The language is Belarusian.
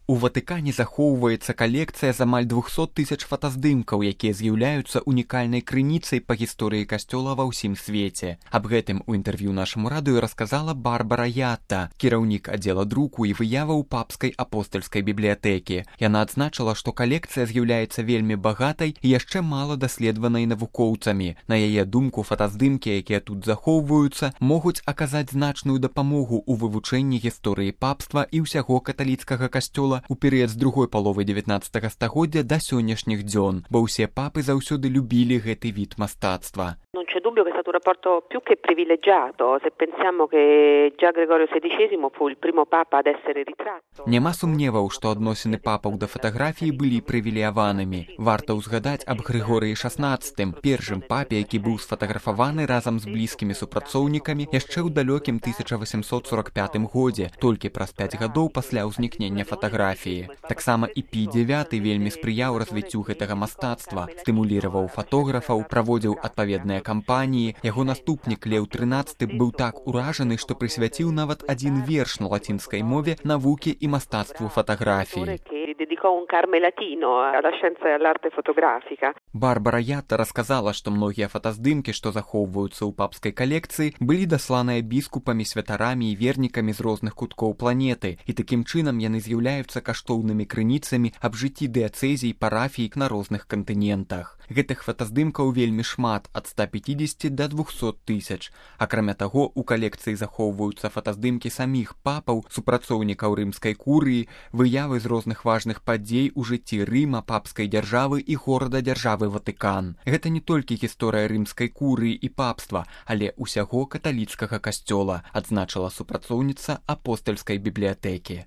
У Ватыкане захоўваецца калекцыя з амаль 200 тысяч фотаздымкаў, якія з'яўляюцца унікальнай крыніцай па гісторыі касцёла ва ўсім свеце. Аб гэтым у інтэрв'ю нашаму радыё расказала Барбара Ятта, кіраўнік аддзела друку і выяваў папскай апостальскай бібліятэкі. Яна адзначыла, што калекцыя з'яўляецца вельмі багатай і яшчэ мала даследаванай навукоўцамі. На яе думку, фотаздымкі, якія тут захоўваюцца, могуць аказаць значную дапамогу ў вывучэнні гісторыі папства і ўсяго каталіцкага касцёла у перыяд з другой паловы 19 стагоддзя да сённяшніх дзён, бо ўсе папы заўсёды любілі гэты від мастацтва. Non c'è dubbio che è stato un rapporto più che privilegiato, se pensiamo che già Gregorio XVI fu il primo papa ad essere ritratto. Няма сумневаў, што адносіны папаў да фатаграфіі былі прывілеяванымі. Варта ўзгадаць аб Грыгорыі XVI, першым папе, які быў сфатаграфаваны разам з блізкімі супрацоўнікамі яшчэ ў далёкім 1845 годзе, толькі праз 5 гадоў пасля ўзнікнення фатаграфіі. Таксама і Пій IX вельмі спрыяў развіццю гэтага мастацтва, стымуліраваў фотографаў, праводзіў адпаведныя кампаніі. Яго наступнік Леў XIII быў так уражаны, што прысвяціў нават адзін верш на лацінскай мове навукі і мастацтву фатаграфіі. Барбара Ятта расказала, што многія фотаздымкі, што захоўваюцца ў папскай калекцыі, былі дасланыя біскупамі, святарамі і вернікамі з розных куткоў планеты, і такім чынам яны з'яўляюцца каштоўнымі крыніцамі аб жыцці дыяцэзій, парафій на розных кантынентах. Гэтых фотаздымкаў вельмі шмат, ад 150 да 200 тысяч. Акрамя таго, у калекцыі захоўваюцца фотаздымкі саміх папаў, супрацоўнікаў рымскай курыі, выявы з розных важных падзей у жыцці Рыма, папскай дзяржавы і горада-дзяржавы Ватыкан. Гэта не толькі гісторыя рымскай курыі і папства, але ўсяго каталіцкага касцёла, адзначыла супрацоўніца апостальскай бібліятэкі.